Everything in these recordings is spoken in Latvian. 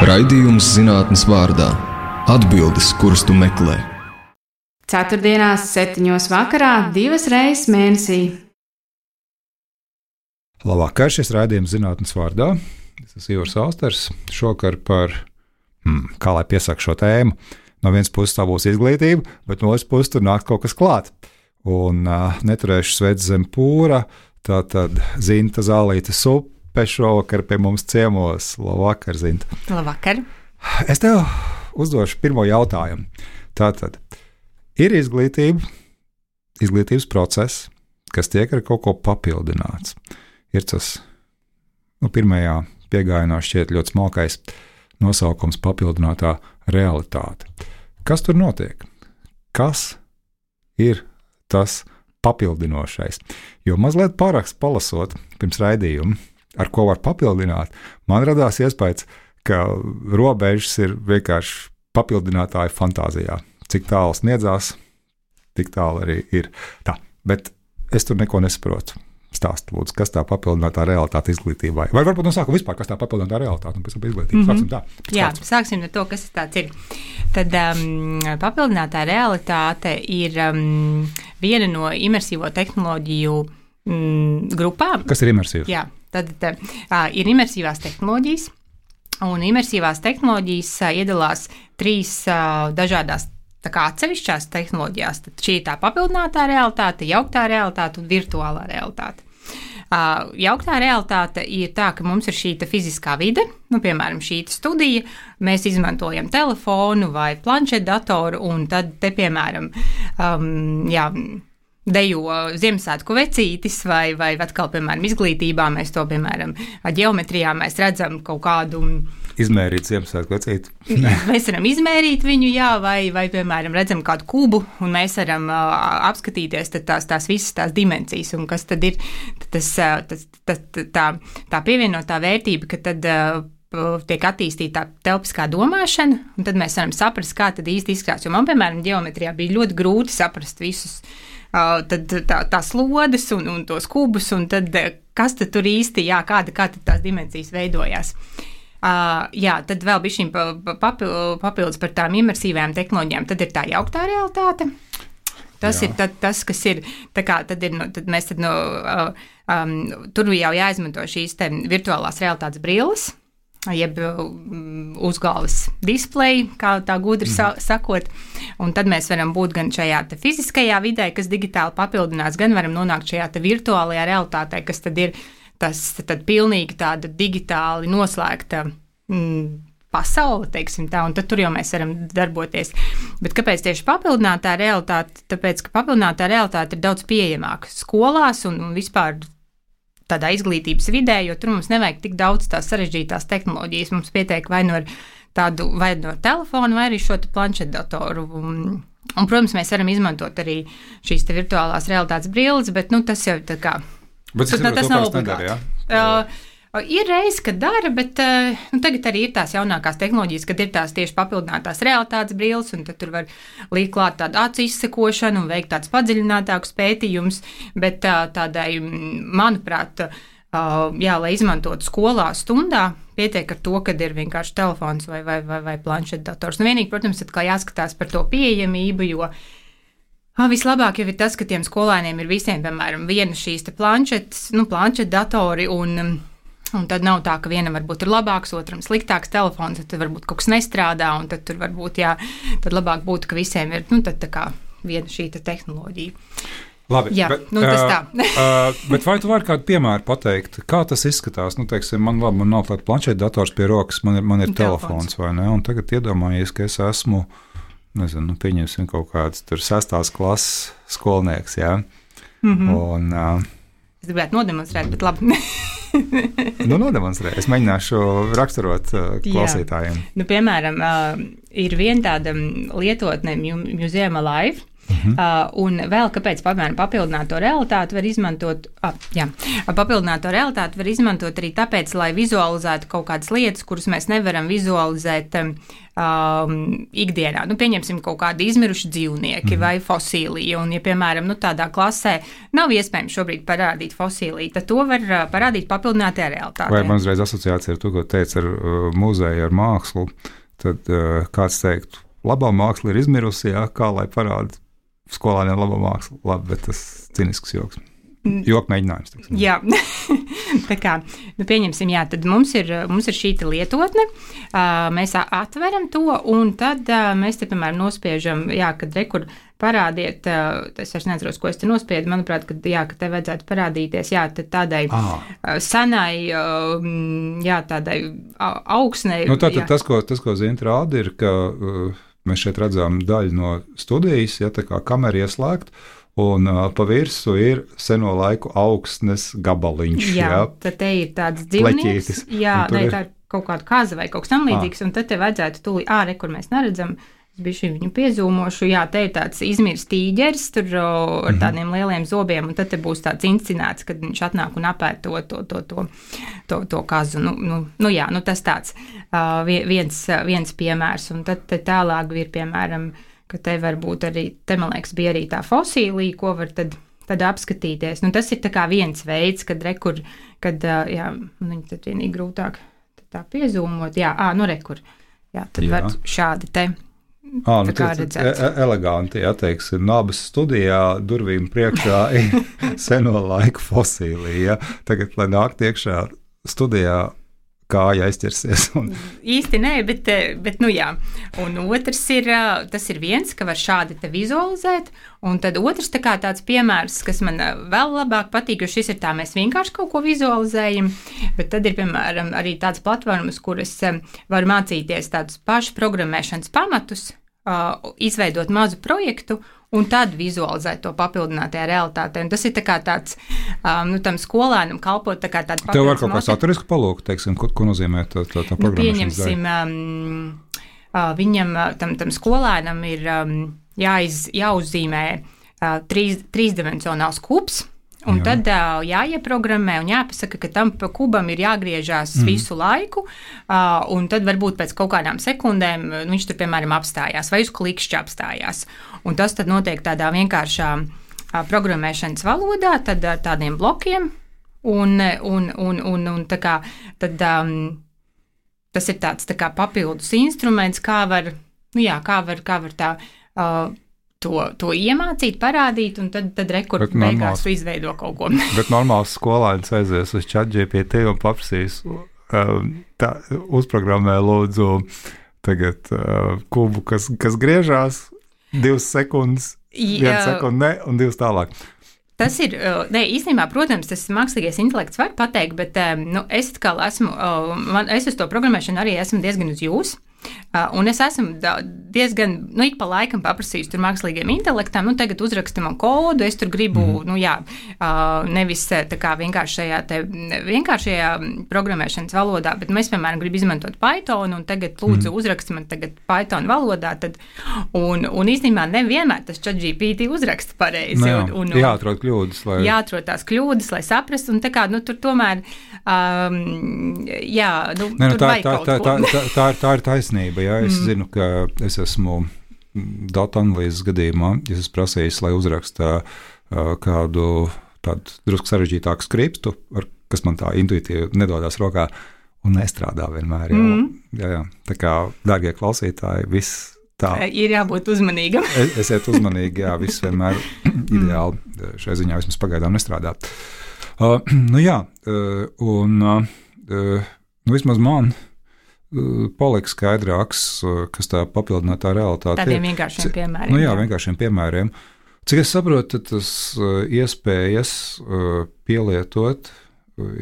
Raidījums zinātnes vārdā – atbildes, kuras tu meklē. Ceturtdienās 7:00 vakarā, 2 reizes mēnesī. Labvakar, šis raidījums zinātnes vārdā. Es esmu Ivars Austers. Šokar par, kā lai piesaka šo tēmu, no vienas puses tā būs izglītība, bet no otras puses tur nāk kaut kas klāt. Un neturēšu sveic zem pūra, tātad Zinta Zālīte Supe šovakar pie mums ciemos. Labvakar, Zinta. Labvakar. Es tev uzdošu pirmo jautājumu. Tātad, ir izglītības process, kas tiek ar kaut ko papildināts. Ir tas, pirmajā piegājienā šķiet ļoti smalkais nosaukums papildinātā realitāte. Kas tur notiek? Kas ir tas papildinošais? Jo mazliet parakstu palasot pirms raidījuma, ar ko var papildināt, man radās iespējas, ka robežas ir vienkārši papildinātāja fantāzijā. Cik tālu sniedzās, tik tālu arī ir. Tā, bet es tur neko nesaprotu. Stāst, lūdzu, kas tā papildinātā realitāte izglītībai? Vai varbūt no sākuma vispār, kas tā papildinātā realitāte un pēc tam izglītība? Sāksim tā. Jā, sāksim ar to, kas tāds ir. Tad papildinātā realitāte ir viena no imersīvo tehnoloģiju grupām. Kas ir imersīvs? Jā, tad ir imersīvās tehnoloģijas, un imersīvās tehnoloģijas iedalās 3 dažādās tā kā atsevišķās tehnoloģijās. Tad šī ir tā papildinātā realitāte, jauktā realitāte un virtuālā realitāte. Jauktā realitāte ir tā, ka mums ir šī fiziskā vide, piemēram, šī studija, mēs izmantojam telefonu vai planšetdatoru, un tad te, piemēram, dejo Ziemassvētku vecītis, vai atkal, piemēram, izglītībā mēs to, piemēram, ģeometrijā mēs redzam kaut kādu izmērīt Ziemassvētku vecīti. Mēs varam izmērīt viņu, jā, vai piemēram, redzam kādu kubu, un mēs varam apskatīties tās visas tās dimensijas, un kas tad ir tā pievienotā vērtība, ka tad tiek attīstīta telpiskā domāšana, un tad mēs varam saprast, kā tad īsti izskatās. Jo man, piemēram, ģeometrijā bija ļoti grūti saprast visus tās lodes un tos kubus, un tad kas tad tur īsti, jā, kāda tad tās dimensijas veidojās. Jā, tad vēl bišķiņ papildus par tām imersīvajām tehnoloģijām. Tad ir tā jauktā realitāte. Tas ir tas, kas ir, tad mēs tur jau jāizmanto šīs virtuālās realitātes brilles, jeb uzgalvas displeji, kā tā gudri sakot, un tad mēs varam būt gan šajā fiziskajā vidē, kas digitāli papildinās, gan varam nonākt šajā virtuālajā realitātē, kas tad ir tas tad pilnīgi tāda digitāli noslēgta pasaule, teiksim tā, un tad tur jau mēs varam darboties. Bet kāpēc tieši papildinātā realitāte? Tāpēc, ka papildinātā realitāte ir daudz pieejamāka skolās un vispār tādā izglītības vidē, jo tur mums nevajag tik daudz tās sarežģītās tehnoloģijas. Mums pietiek vai no telefona, vai arī šo planšetdatoru. Un, protams, mēs varam izmantot arī šīs virtuālās realitātes brilles, bet tas jau tā kā bet tas nav obligāti. Ir reizes, kad dara, bet tagad arī ir tās jaunākās tehnoloģijas, kad ir tās tieši papildinātās realitātes brilles, un tad tur var likt klāt tādu acu izsekošanu un veikt tādus padziļinātākus pētījumus, bet tādai, manuprāt, lai izmantotu skolā stundā, pietiek ar to, kad ir vienkārši telefons vai planšetdators. Vienīgi, protams, atkal jāskatās par to pieejamību, jo vislabāk jau ir tas, ka tiem skolēniem ir visiem, piemēram, viena šīs planšetdatori, un tad nav tā, ka vienam varbūt ir labāks, otram sliktāks telefons, tad varbūt kaut kas nestrādā, un tad tur varbūt, tad labāk būtu, ka visiem ir, tad tā kā viena šī tehnoloģija. Labi, jā, tas tā. Bet vai tu vari kādu piemēru pateikt, kā tas izskatās? Teiksim, man nav tāds planšetdators pie rokas, man ir telefons, vai ne? Un tagad iedomājies, ka es esmu, pieņemsim kaut kāds tur 6. klases skolnieks, jā? Un es gribētu nodemonstrēt, bet labi. Nodemonstrē. Es mēģināšu raksturot klausītājiem. Piemēram, ir viena tāda lietotne Museum Alive, Un vēl kāpēc, piemēram, papildināto realitāti var izmantot, papildināto realitāti var izmantot arī tāpēc, lai vizualizētu kaut kādas lietas, kuras mēs nevaram vizualizēt ikdienā. Nu, pieņemsim kaut kādi izmiruši dzīvnieki vai fosīliji, un, ja, piemēram, tādā klasē nav iespējams šobrīd parādīt fosīliju, tad to var parādīt papildinātajā realitātē. Vai man uzreiz asociācija ar to, ko teica ar muzeju, ar mākslu, tad kāds teiktu, labā māksla ir izmirusi, kā lai parāda skolāniem labā māksla. Labi, bet tas cinisks joks. Joku mēģinājums. Tiksim. Jā, tā kā, pieņemsim, tad mums ir šī lietotne, mēs atveram to, un tad mēs te, piemēram, nospiežam, kad rekur parādiet, es vairs neatceros, ko es te nospiedu, manuprāt, ka te vajadzētu parādīties, tādai sanai, tādai augsnei. Nu, tātad tas, ko Zinta rāda, ir, ka mēs šeit redzam daļu no studijas, tā kā kamera ieslēgt, un pa virsu ir seno laiku augsnes gabaliņš. Tad te ir tāds dzīvnieks. Tā ir kaut kāda kaza vai kaut kas tam līdzīgs, un tad te vajadzētu tūlīt, kur mēs neredzam, es biju viņu piezūmošu, te ir tāds izmirs tīģeris, tur ar tādiem lieliem zobiem, un tad te būs tāds inscenēts, kad viņš atnāk un apēd to kazu. Tas tāds viens piemērs, un tad tālāk ir, piemēram, ka te var būt arī, man liekas, bija arī tā fosīlija, ko var tad apskatīties. Tas ir tā kā viens veids, kad viņi tad vienīgi grūtāk tā piezūmot. Rekur. Tad var šādi te redzēt. Eleganti, teiksim, Nabas studijā durvīm priekšā ir seno laiku fosīlija. Tagad, lai nākt iekšā studijā, kāja aizķersies. Īsti nē, bet Un otrs ir, tas ir viens, ka var šādi te vizualizēt, un tad otrs tāds piemērs, kas man vēl labāk patīk, jo šis ir mēs vienkārši kaut ko vizualizējam, bet tad ir, piemēram, arī tādas platformas, kuras var mācīties tādus pašu programmēšanas pamatus, izveidot mazu projektu, un tad vizualizēt to papildinātajā realitātē. Un tas ir tāds, tam skolēnam kalpot tā kā tāda papildus. Tev var kaut kā saturisku palūkt, teiksim, ko nozīmē tā programmēšanas daļa? Pieņemsim, viņam, tam skolēnam ir jāuzzīmē trīsdimensionāls kubs, un tad jāieprogrammē un jāpasaka, ka tam kubam ir jāgriežās visu laiku, un tad varbūt pēc kaut kādām sekundēm viņš tur, piemēram, apstājās vai uz klikšķi apstājās. Un tas tad notiek tādā vienkāršā programmēšanas valodā, tad ar tādiem blokiem, un tā kā, tad tas ir tāds tā kā papildus instruments, kā var tā to iemācīt, parādīt, un tad rekur beigās izveido kaut ko. Bet normāls skolēns aizies uz ChatGPT un paprasīs, uzprogrammē lūdzu tagad kubu, kas griežās 2 sekundes, 1 sekunde ne, un 2 tālāk. Tas ir, īstenībā, protams, tas mākslīgais intelekts var pateikt, bet es atkal es uz to programmēšanu arī esmu diezgan uz jūs. Un es esmu diezgan, ik pa laikam paprasījusi tur mākslīgiem intelektam, tagad uzraksti man kodu, es tur gribu, nevis tā kā vienkāršajā programmēšanas valodā, bet mēs, piemēram, gribu izmantot Python, un tagad lūdzu uzraksti man tagad Python valodā, un īstenībā nevienmēr tas ChatGPT uzraksta pareizi. Jāatrod kļūdas, jāatrod tās kļūdas, lai saprastu, un tā kā, tur tomēr, tur vajag kaut ko. Tā ir taisnība. Es zinu, ka es esmu datu analīzes gadījumā, ja es prasīju, lai uzraksta kādu tādu drusku sarežģītāku skriptu, kas man tā intuitīvi nedodās rokā un nestrādā vienmēr. Jā. Tā kā, dārgie klausītāji, viss tā. Ir jābūt uzmanīgam. Esiet uzmanīgi, viss vienmēr ideāli šai ziņā vismaz pagaidām nestrādā. Vismaz man palika skaidrāks, kas tā papildinātā realitāte ir. Tādiem vienkāršiem piemēriem. Vienkāršiem piemēriem. Cik es saprotu, tas iespējas pielietot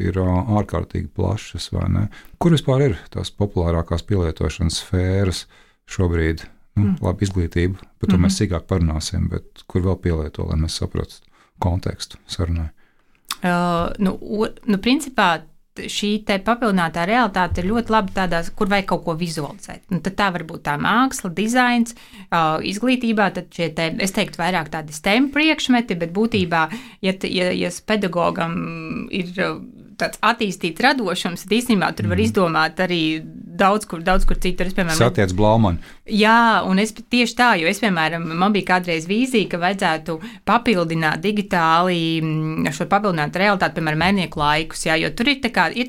ir ārkārtīgi plašas, vai ne? Kur vispār ir tās populārākās pielietošanas sfēras šobrīd? Labi, izglītība, par to mēs sīkāk parunāsim, bet kur vēl pielieto, lai mēs saprastu kontekstu sarunai? Principā šī te papildinātā realitāte ir ļoti labi tādās, kur vajag kaut ko vizualizēt. Un tad tā var būt tā māksla, dizains, izglītībā, tad šie te, es teiktu, vairāk tādi STEM priekšmeti, bet būtībā, ja pedagogam ir tāds attīstīts radošums, tad īstenībā tur var izdomāt arī daudz kur citur. Satiec Blaumani. Jā, un es tieši tā, jo es, piemēram, man bija kādreiz vīzija, ka vajadzētu papildināt digitāli šo papildinātu realitāti, piemēram, mērnieku laikus, jā, jo tur ir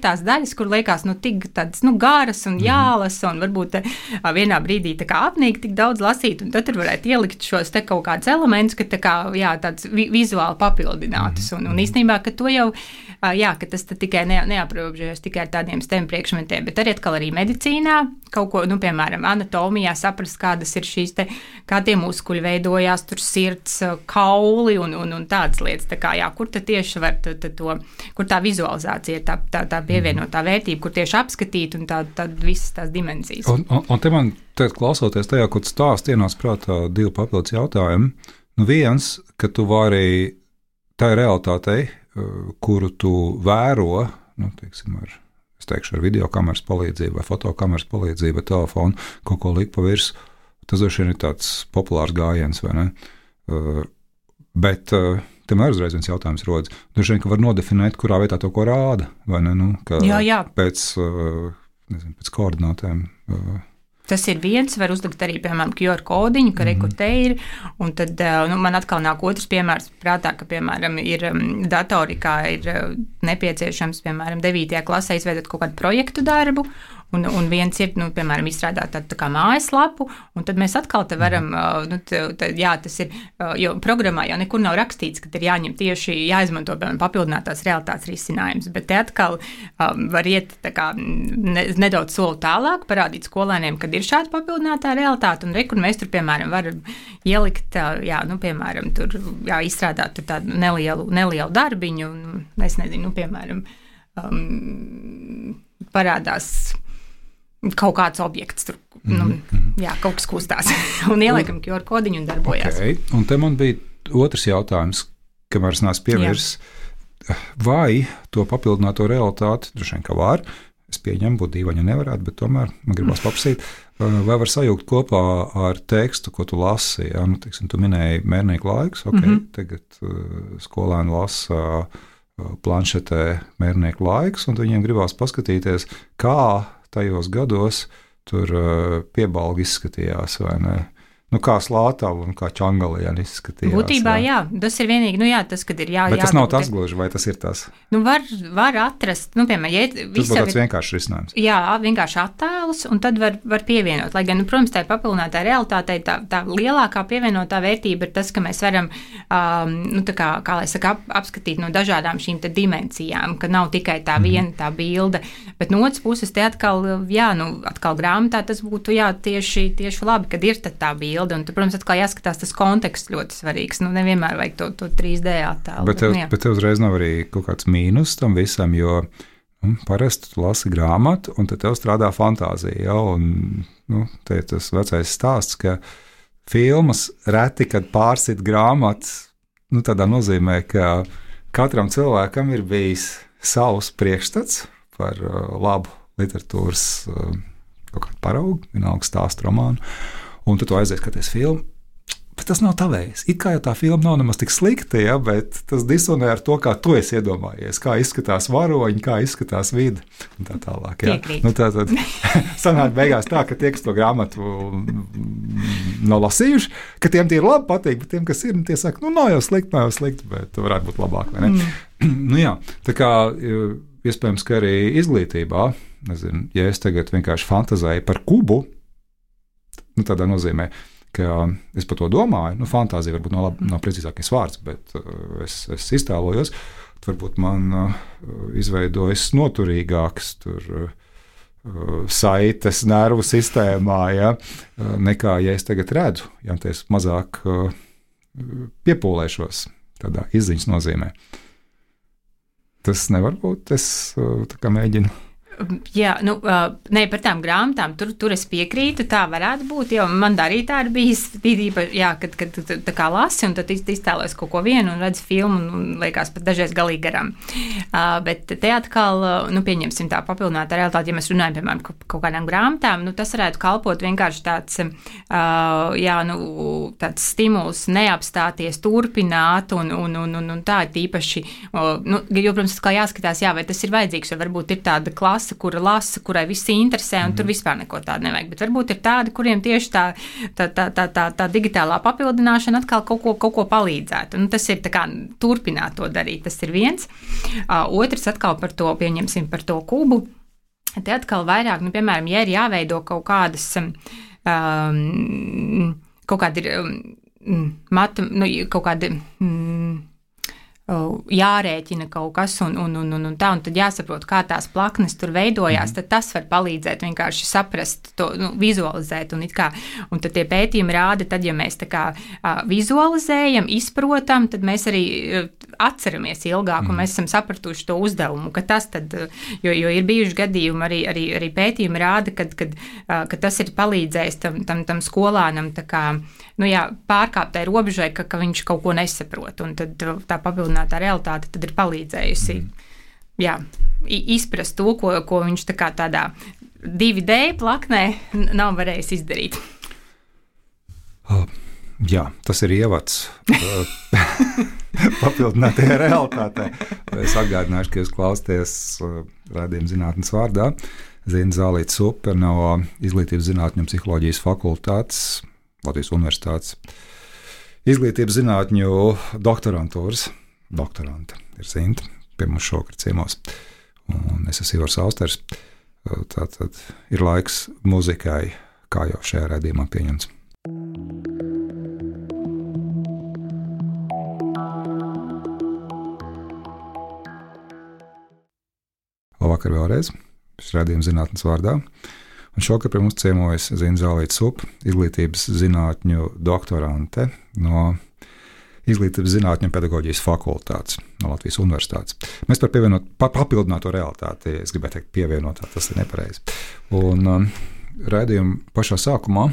tās daļas, kur liekas, tik tādas, garas un jālas, un varbūt vienā brīdī apnīgi tik daudz lasīt, un tad tur varētu ielikt šos te kaut kādus elementus, ka tāds vizuāli papildinātus, un īstenībā, ka to jau, ka tas tikai neaprobežojas tikai ar tādiem STEM priekšmetiem, bet arī medicīnā, kaut ko, piemēram, anatomijā saprast, kādas ir šīs te, kā tie muskuļi veidojās, tur sirds, kauli un tādas lietas, kur tad tieši var kur tā vizualizācija ir tā pievienotā vērtība, kur tieši apskatīt un tā visas tās dimensijas. Un te man, klausoties tajā, ko tu stāst, ienāc prātā 2 papildus jautājumi. Viens, ka tu vari tai realitātei, kuru tu vēro, teiksim, ar videokameras palīdzību vai fotokameras palīdzību vai telefonu, kaut ko likt pa virsmu, tas droši vien ir tāds populārs gājiens, vai ne? Bet tomēr uzreiz viens jautājums rodas. Droši vien, ka var nodefinēt, kurā vietā to ko rāda, vai ne? Jā. Pēc koordinātēm. Tas ir viens, var uzlikt arī, piemēram, QR kodiņu, ka rekur te ir, un tad man atkal nāk otrs piemērs prātā, ka, piemēram, ir datorikā ir nepieciešams, piemēram, 9. klasē izveidot kaut kādu projektu darbu, un viens ir, piemēram, izstrādāt tādu tā kā mājaslapu, un tad mēs atkal te varam, tas ir, jo programmā jau nekur nav rakstīts, ka ir jāņem tieši, jāizmanto, piemēram, papildinātās realitātes risinājums, bet te atkal var iet tā kā nedaudz soli tālāk, parādīt skolēniem, kad ir šāda papildinātā realitāte, un rekur mēs tur, piemēram, varam ielikt, piemēram, tur, izstrādāt tur tādu nelielu darbiņu, un es nezinu, piemēram, parādās kaut kāds objekts tur, kaut kas kustās, un ieliekam QR kodiņu un darbojās. Okay. Un te man bija otrs jautājums, kamēr es neesmu piemirs, vai to papildināto realitāti, droši vien, ka var, es pieņemu, būtu dīvaini, ja nevarētu, bet tomēr man gribas paprasīt, vai var sajūgt kopā ar tekstu, ko tu lasi, teiksim, tu minēji mērnieku laikus, tagad skolēni lasa planšetē mērnieku laikus, un viņiem gribās paskatīties, kā tajos gados tur piebalgi izskatījās, vai ne? Kā Slātava un kā Čangaliena izskatījās. Būtībā, jā, tas ir vienīgi, tas, kad ir Bet tas nav tas gluži, vai tas ir tas? Var atrast, piemēram, tas būtu tāds vienkāršs risinājums. Jā, vienkārši attēlus, un tad var pievienot. Lai gan, protams, tā papildinātā realitātei tā lielākā pievienotā vērtība ir tas, ka mēs varam, kā lai saka, apskatīt no dažādām šīm te dimensijām, ka nav tikai tā viena tā bilde, bet no otras puses te atkal grāmatā tas būtu, tieši labi, kad ir tā bilde. Un, protams, atkal jāskatās tas konteksts ļoti svarīgs. Nevienmēr vajag to 3D attēlu. Bet tev uzreiz nav arī kaut kāds mīnus tam visam, jo parasti tu lasi grāmatu, un tad tev strādā fantāzija. Ja? Un, te ir tas vecais stāsts, ka filmas reti, kad pārsit grāmatas, tādā nozīmē, ka katram cilvēkam ir bijis savs priekšstats par labu literatūras kaut kādu paraugu, vienalga stāstu romānu. Un tu aizies skaties filmu, bet tas nav tavējs. It kā jau tā filma nav nemaz tik slikta, ja, bet tas disonē ar to, kā tu esi iedomājies, kā izskatās varoņi, kā izskatās vide un tā tālāk. Ja. Tātad sanāk beigās tā, ka tie, kas to grāmatu nav lasījuši, ka tiem tie ir labi patīk, bet tiem, kas ir, tie saka, nav jau slikti, bet varētu būt labāk, vai ne? Jā, tā kā iespējams, ka arī izglītībā, nezinu, ja es tagad vienkārši fantazēju par kubu, tādā nozīmē, ka es par to domāju, fantāzija varbūt nav precīzākais vārds, bet es iztēlojos, varbūt man izveidojas noturīgāks saites nervu sistēmā, ja, nekā, ja es tagad redzu, ja es mazāk piepūlēšos tādā izziņas nozīmē. Tas nevar būt, es tā kā mēģinu. Jā, ne par tām grāmatām, tur es piekrītu, tā varētu būt, jo man arī tā ir bijis, jā, kad tā kā lasi un tad iztēlojas kaut ko vienu un redz filmu un liekas pat dažreiz galīgi garām. Bet te atkal, pieņemsim tā papildinātā realitāte, ja mēs runājam, piemēram, kaut kādām grāmatām, tas varētu kalpot vienkārši tāds, tāds stimuls neapstāties, turpināt un tā ir tīpaši, jo, protams, kā jāskatās, vai tas ir vajadzīgs, jo varbūt ir tāda klasa, kura lasa, kurai visi interesē, un tur vispār neko tādu nevajag. Bet varbūt ir tādi, kuriem tieši tā digitālā papildināšana atkal kaut ko palīdzētu. Tas ir tā kā turpināt to darīt, tas ir viens. Otrs atkal par to, pieņemsim par to kubu. Te atkal vairāk, piemēram, ja ir jāveido kaut kādas, kaut kādi kaut kādi jārēķina kaut kas un tā, un tad jāsaprot, kā tās plaknes tur veidojās, tad tas var palīdzēt vienkārši saprast to, vizualizēt, un tad tie pētījumi rāda, tad, ja mēs tā kā vizualizējam, izprotam, tad mēs arī atceramies ilgāk, un mēs esam sapratuši to uzdevumu, ka tas tad, jo ir bijuši gadījumi, arī pētījumi rāda, ka tas ir palīdzējis tam skolānam, tā kā, pārkāpt tai robežai, ka viņš kaut ko nesaprot, un tad tā papildinātā realitāte tad ir palīdzējusi izprast to, ko viņš tā kā tādā 2D plaknē nav varējis izdarīt. Jā, tas ir ievads papildinātajā realitātē. Es atgādināšu, ka jūs klausāties raidījuma Zinātnes vārdā. Zina Zālīte Supe no Izglītības zinātņu un psiholoģijas fakultātes Latvijas Universitātes izglītības zinātņu doktorantūras doktorante ir Zinta, pie mums šokar ciemos, un es esmu Ivars Austers. Tātad ir laiks muzikai, kā jau šajā raidījumā pieņemts. Labvakar vēlreiz, šis raidījums Zinātnes vārdā. Un šokar pie mums ciemojas Zina Zālīte Supe, izglītības zinātņu doktorante no Izglītības zinātņu un pedagoģijas fakultātes no Latvijas Universitātes. Mēs par papildināto realitāti, es gribētu teikt pievienotā, tas ir nepareizi. Un raidījuma pašā sākumā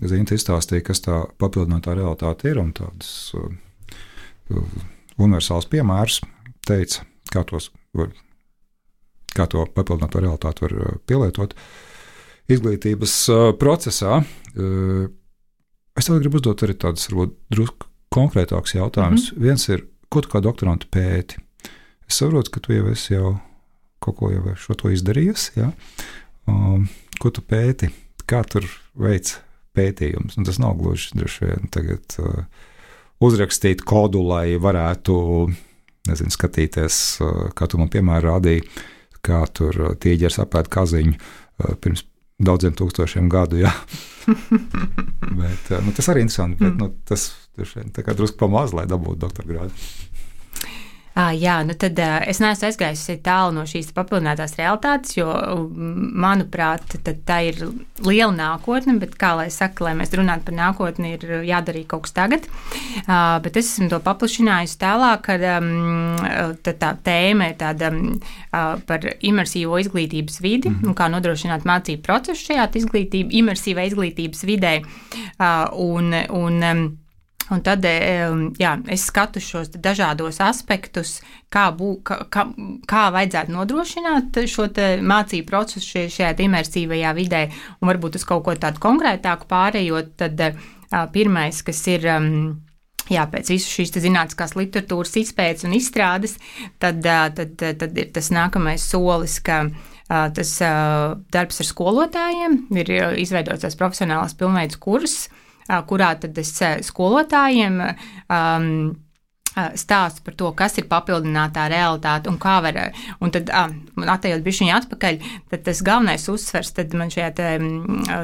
Zina izstāstīja, kas tā papildinātā realitāte ir, un tādus universāls piemērus teica, kā to papildināto realitāti var pielietot izglītības procesā. Es tev gribu uzdot arī tādus, varbūt, drusku konkrētāks jautājums. Viens ir, ko tu kā doktorantu pēti? Es saprotu, ka tu jau esi kaut ko jau šo to izdarījusi, ja? Ko tu pēti? Kā tur veic pētījums? Un tas nav gluži droši vien tagad uzrakstīt kodu, lai varētu, skatīties, kā tu man piemēram rādīji, kā tur tīģeris apēd kaziņu pirms daudziem tūkstošiem gadu, jā. Bet, tas arī interesanti, bet tas tā kā drusku pamaz, lai dabūtu doktora grādu. Jā, tad es neesmu aizgājusi tālu no šīs papildinātās realitātes, jo, manuprāt, tā ir liela nākotne, bet, kā lai saka, lai mēs runātu par nākotni, ir jādara kaut kas tagad. Bet es esmu to paplašinājusi tālāk, ka tā tēma ir tāda par imersīvo izglītības vidi un kā nodrošināt mācību procesu šajā imersīvā izglītības vidē. Un tad, es skatu šos dažādos aspektus, kā vajadzētu nodrošināt šo mācību procesu šajā imersīvajā vidē, un varbūt uz kaut ko tādu konkrētāku pārējot, tad pirmais, kas ir, pēc visu šīs zinātniskās literatūras izpētes un izstrādes, tad ir tas nākamais solis, ka tas darbs ar skolotājiem ir izveidots tās profesionālās pilnveidas kurss, kurā tad es skolotājiem stāstu par to, kas ir papildinātā realitāte un kā var, un tad, atejot bišķiņu atpakaļ, tad tas galvenais uzsvers, tad man šajā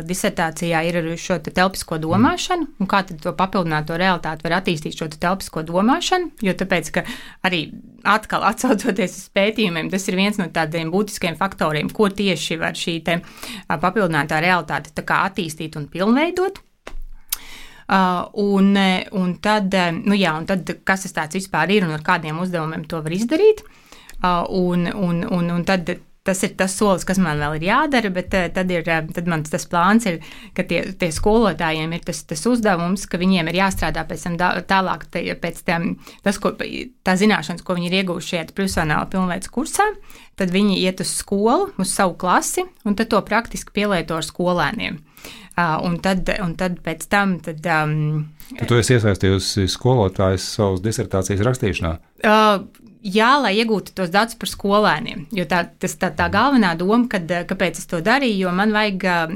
disertācijā ir ar šo telpisko domāšanu, un kā tad to papildināto realitāti var attīstīt šo telpisko domāšanu, jo tāpēc, ka arī atkal atsaucoties uz pētījumiem, tas ir viens no tādiem būtiskiem faktoriem, ko tieši var šī papildinātā realitāte tā kā attīstīt un pilnveidot. Un tad, kas tas tāds vispār ir un ar kādiem uzdevumiem to var izdarīt. Un tad tas ir tas solis, kas man vēl ir jādara, bet tad man tas plāns ir, ka tie skolotājiem ir tas uzdevums, ka viņiem ir jāstrādā pēc tam tālāk, pēc tam, tā zināšanas, ko viņi ir ieguvuši šajā profesionāla pilnveids kursā, tad viņi iet uz skolu, uz savu klasi, un tad to praktiski pielieto ar skolēniem. Un tad pēc tam... Tu esi iesaistījusi skolotājs savas disertācijas rakstīšanā? Jā, lai iegūtu tos datus par skolēniem, jo tā galvenā doma, kāpēc es to darīju,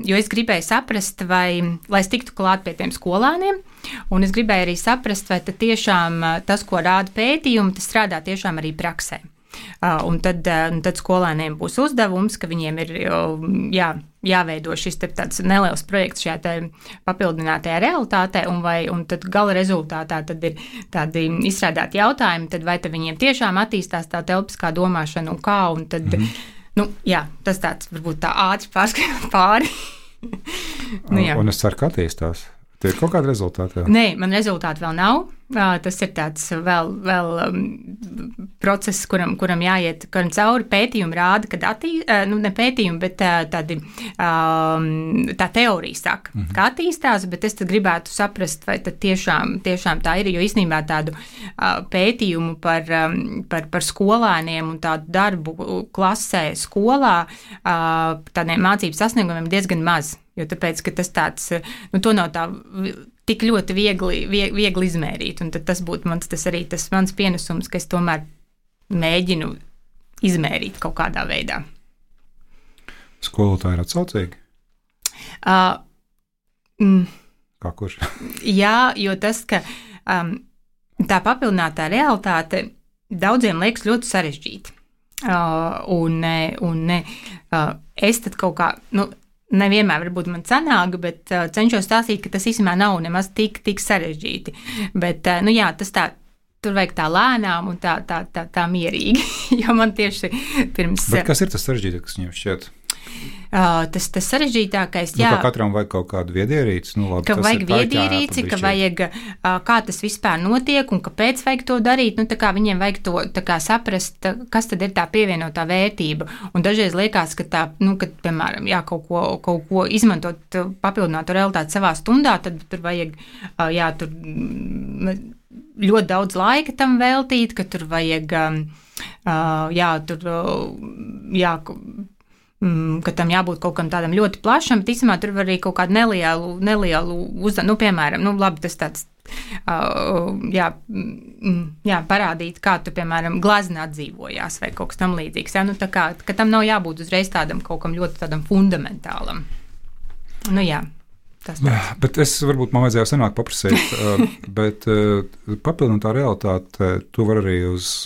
jo es gribēju saprast, lai es tiktu klāt pie tiem skolēniem, un es gribēju arī saprast, vai tiešām tas, ko rāda pētījumi, tas strādā tiešām arī praksē. Un tad skolēniem būs uzdevums, ka viņiem ir jāveido šis tāds neliels projekts šajā papildinātajā realitātē, un tad gala rezultātā tad ir tādi izstrādāti jautājumi, tad vai tad viņiem tiešām attīstās tā telpiskā domāšana un kā, un tad, tas tāds varbūt tā ātri pārskatīt pāri. Un es ceru, ka attīstās. Tie ir kaut kādi rezultāti? Jā? Nē, man rezultāti vēl nav. Tas ir tāds vēl process, kuram jāiet cauri. Pētījumi rāda, ka ne pētījumi, bet tā teorija saka, ka attīstās, bet es tad gribētu saprast, vai tad tiešām tā ir, jo īstenībā tādu pētījumu par skolēniem un tādu darbu klasē skolā, tādiem mācību sasniegumiem diezgan maz. Jo tāpēc, ka tas tāds, to nav tā tik ļoti viegli izmērīt, un tad tas būtu tas mans pienesums, ka es tomēr mēģinu izmērīt kaut kādā veidā. Skolotāji ir atsaucīgi? Kā kurš? Jā, jo tas, ka tā papildinātā realitāte daudziem liekas ļoti sarežģīta. Es tad kaut kā, nevienmēr varbūt man sanāk, bet cenšos stāstīt, ka tas īstenībā nav nemaz tik sarežģīti. Bet, tas tā, tur vajag tā lēnām un tā mierīgi, jo man tieši pirms... Bet kas ir tas sarežģītākais, kas viņam šķiet? Tas sarežģītākais, jā. Ka katram vajag kaut kādu viedierīci. Ka vajag viedierīci, ka vajag, kā tas vispār notiek un kāpēc vajag to darīt. Tā kā viņiem vajag to saprast, kas tad ir tā pievienotā vērtība. Un dažreiz liekas, ka kad, piemēram, kaut ko izmantot papildinātu realitāti savā stundā, tad tur vajag, tur ļoti daudz laika tam veltīt, ka tur vajag, ka tam jābūt kaut kam tādam ļoti plašam, bet īstenībā tur var arī kaut kādu nelielu uzdevumu, piemēram, labi, tas tāds, parādīt, kā tu, piemēram, glaznā dzīvojās vai kaut kas tam līdzīgs, tā kā, ka tam nav jābūt uzreiz tādam kaut kam ļoti tādam fundamentālam. Tas tāds. Bet varbūt man vajadzēja senāk paprasīt, bet papildināt tā realitāte, tu var arī uz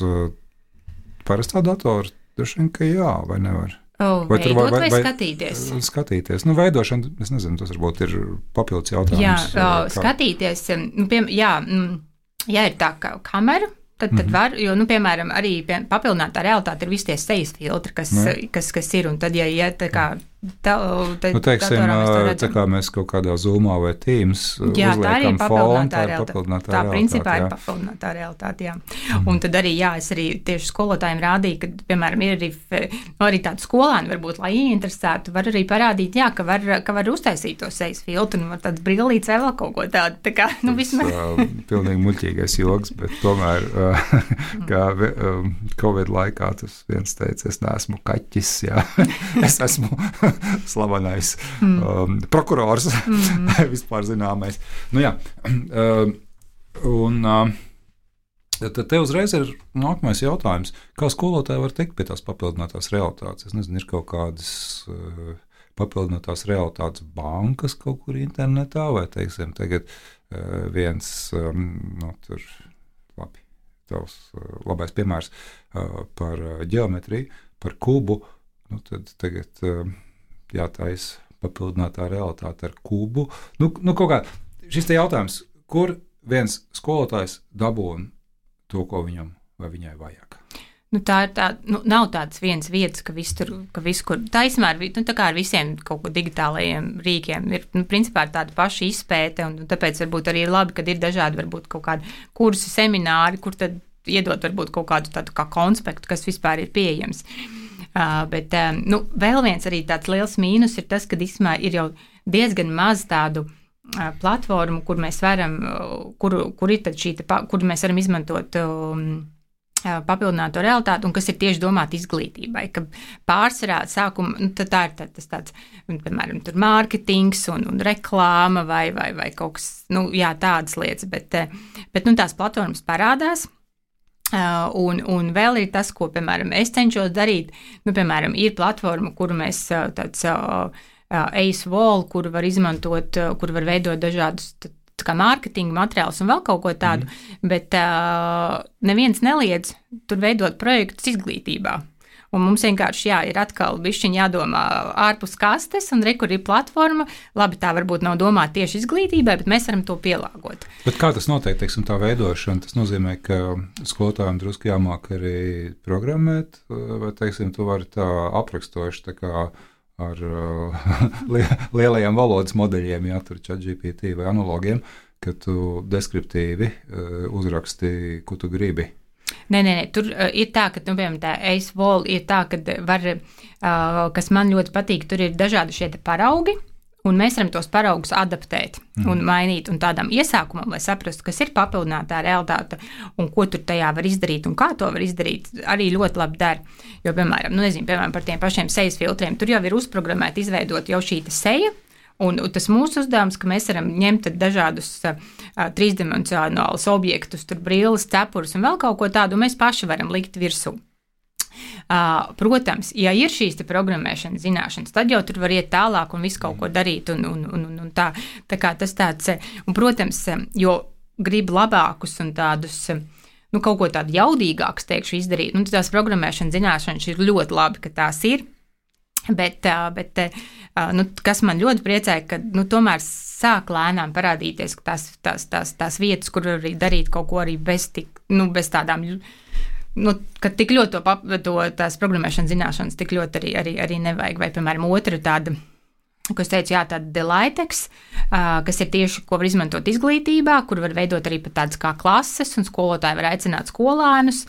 parastā datora, droši vien, ka jā, vai nevar? Veidot vai skatīties? Skatīties. Veidošana, es nezinu, tas varbūt ir papildus jautājums. Skatīties, ja ir tā kamera, tad var, jo, piemēram, arī papildinātā realitāte ir visi tie sejas filtri, kas ir, un tad, ja tā kā teiksim, tā kā mēs kaut kādā Zoomā vai Teams uzliekam fonu, tā ir papildinātā realitāte. Tā principā ir papildinātā realitāte, jā. Un tad arī, es arī tieši skolotājiem rādīju, ka, piemēram, ir arī tādu skolēnu, varbūt, lai ieinteresētu, var arī parādīt, ka var uztaisīt to sejas filtru, un var tāds brillīts vai vēl kaut ko tādu, tā kā, vismaz. Pilnīgi muļķīgais joks, bet tomēr, kā Covid laikā tas viens teica, es neesmu kaķis, jā, es esmu slavenais prokurors, vispār zināmais. Tad te uzreiz ir nākamais jautājums. Kā skolotāji var tikt pie tās papildinātās realitātes? Es nezinu, ir kaut kādas papildinātās realitātes bankas kaut kur internetā, vai, teiksim, tagad viens, tavs labais piemērs par ģeometriju, par kubu, tad tagad jātaisa papildinātā realitāte ar kubu. Kaut kā šis te jautājums, kur viens skolotājs dabūna to, ko viņam vai viņai vajag? Tā ir tā, nav tādas vienas vietas, ka viss kur taisnā ir, tā kā ar visiem kaut ko digitālajiem rīkiem ir, principā tāda paša izpēte, un tāpēc varbūt arī ir labi, kad ir dažādi varbūt kaut kādi kursi, semināri, kur tad iedot varbūt kaut kādu tādu kā konspektu, kas vispār ir pieejams. Bet vēl viens arī tāds liels mīnus ir tas, ka īstenībā ir jau diezgan maz tādu platformu, kur mēs varam, kur ir tad kur mēs varam izmantot papildināto realitāti, un kas ir tieši domāta izglītībai, ka pārsvarā sākuma, tā ir tas tāds, piemēram, tur mārketings un reklāma vai kaut kas, tādas lietas, bet tās platformas parādās. Un vēl ir tas, ko, piemēram, es cenšos darīt, piemēram, ir platforma, kuru mēs tāds Ace Wall, kuru var izmantot, kuru var veidot dažādus kā mārketinga materiālus un vēl kaut ko tādu, bet neviens neliedz tur veidot projektus izglītībā. Un mums vienkārši ir atkal bišķiņ jādomā ārpus kastes, un kur ir platforma. Labi, tā varbūt nav domāta tieši izglītībai, bet mēs varam to pielāgot. Bet kā tas notiek, teiksim, tā veidošana? Tas nozīmē, ka skolotājiem drusku jāmāk arī programmēt, vai, teiksim, tu vari tā aprakstoši tā kā ar lielajiem valodas modeļiem, tur ChatGPT vai analogiem, ka tu deskriptīvi uzraksti, ko tu gribi. Nē, tur ir tā, ka, piemēram, tā Ace Wall ir tā, ka var, kas man ļoti patīk, tur ir dažādi šie paraugi, un mēs varam tos paraugus adaptēt un mainīt, un tādam iesākumam, lai saprastu, kas ir papildinātā realitāte, un ko tur tajā var izdarīt, un kā to var izdarīt, arī ļoti labi dara. Jo, piemēram, piemēram, par tiem pašiem sejas filtriem, tur jau ir uzprogrammēti izveidot jau šī seja, un tas mūsu uzdevums, ka mēs varam ņemt dažādus trīsdimensionālus objektus, tur brilles, cepurus un vēl kaut ko tādu, un mēs paši varam likt virsū. Protams, ja ir šīs programmēšanas zināšanas, tad jau tur var iet tālāk un visu kaut ko darīt, un tā kā tas tāds, un, protams, jo grib labākus un tādus, kaut ko tādu jaudīgākus, teikšu, izdarīt, tās programmēšanas zināšanas ir ļoti labi, ka tās ir, bet kas man ļoti priecēja, ka, tomēr sāk lēnām parādīties tās vietas, kur arī darīt kaut ko arī bez tādām, ka tik ļoti tās programmēšanas zināšanas tik ļoti arī nevajag. Vai, piemēram, otra tāda, ko es teicu, tāda Delaitex, kas ir tieši, ko var izmantot izglītībā, kur var veidot arī pat tādas kā klases, un skolotāji var aicināt skolēnus,